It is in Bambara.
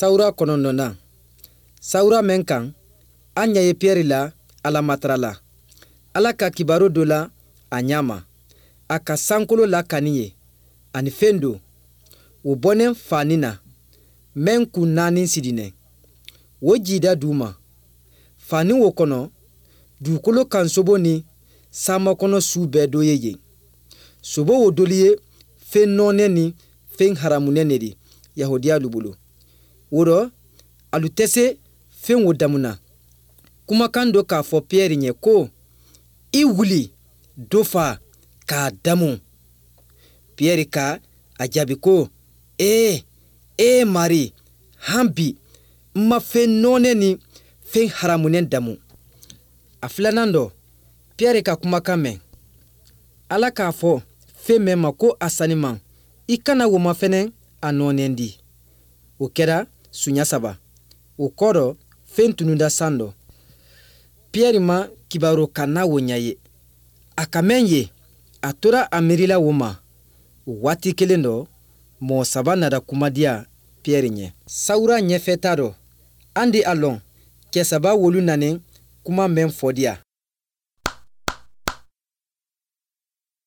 Sawura 9nan, sawura mɛn kan, an ɲa ye Piyɛri la Alamatara la. Ala ka kibaru dɔ la a ɲa ma, a ka sankolo lakani ye, ani fen do, o bɔnen fani na, mɛn kun naani sidinɛ. O jida du ma. Fani wo kɔnɔ, dugukolo kan sobo ni sanmakɔnɔ su bɛɛ dɔ ye yen. Sobo wo dolu ye fen nɔɔnɛ ni fen haramunɛ ne di yahudiyalu bolo. O rɔ, alu tɛ se fen wo damu na. Kumakan dɔ k'a fɔ Piyɛri ɲɛ ko, i wuli, dɔ fa, k'a damu. Piyɛri ka a jaabi ko, ee, ee Mari, han bi, n ma fen nɔɔnɛ ni fen haramunɛ damu. A filanan dɔ, Piyɛri ka kumakan mɛn. Ala k'a fɔ fen mɛn ma ko a saniman, i kana wo mafɛnɛ a nɔɔnɛ di. O kɛra suɲa saba. O kɔ dɔ, fen tununda san dɔ. Piyɛri ma kibaru kanna wo ɲa ye. A ka mɛn ye, a tora a miirila wo ma. O waati kelen dɔ, mɔgɔ saba nana kumadiya Piyɛri ɲɛ. Sawura ɲɛfɛta dɔ, an di a lɔn cɛ saba wolu nanen kuma mɛn fɔ diya.